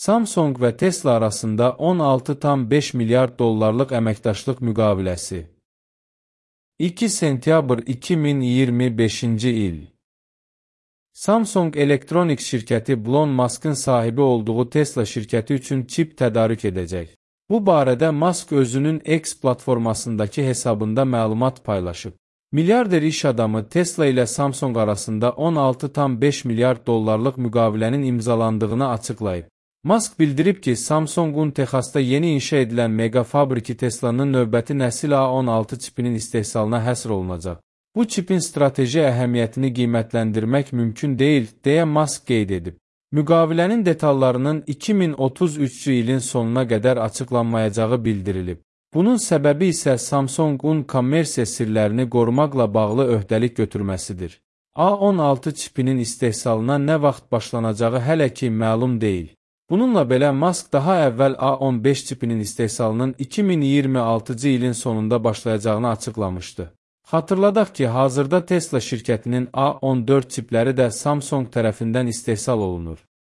Samsung və Tesla arasında 16,5 milyard dollarlıq əməkdaşlıq müqaviləsi. 2 sentyabr 2025-ci il. Samsung Electronics şirkəti Elon Musk'ın sahibi olduğu Tesla şirkəti üçün çip tədarük edəcək. Bu barədə Musk özünün X platformasındakı hesabında məlumat paylaşıb. Milyarder iş adamı Tesla ilə Samsung arasında 16,5 milyard dollarlıq müqavilənin imzalandığını açıqlayıb. Musk bildirib ki, Samsung'un Texasda yeni inşa edilən mega fabriki Tesla'nın növbəti nəsil A16 çipinin istehsalına həsr olunacaq. Bu çipin strateji əhəmiyyətini qiymətləndirmək mümkün deyil, deyə Musk qeyd edib. Müqavilənin detallarının 2033-cü ilin sonuna qədər açıqlanmayacağı bildirilib. Bunun səbəbi isə Samsung'un kommersiya sirlərini qorumaqla bağlı öhdəlik götürməsidir. A16 çipinin istehsalına nə vaxt başlanacağı hələ ki məlum deyil. Bununla belə Musk daha əvvəl A15 çipinin istehsalının 2026-cı ilin sonunda başlayacağını açıqlamışdı. Xatırladaq ki, hazırda Tesla şirkətinin A14 çipləri də Samsung tərəfindən istehsal olunur.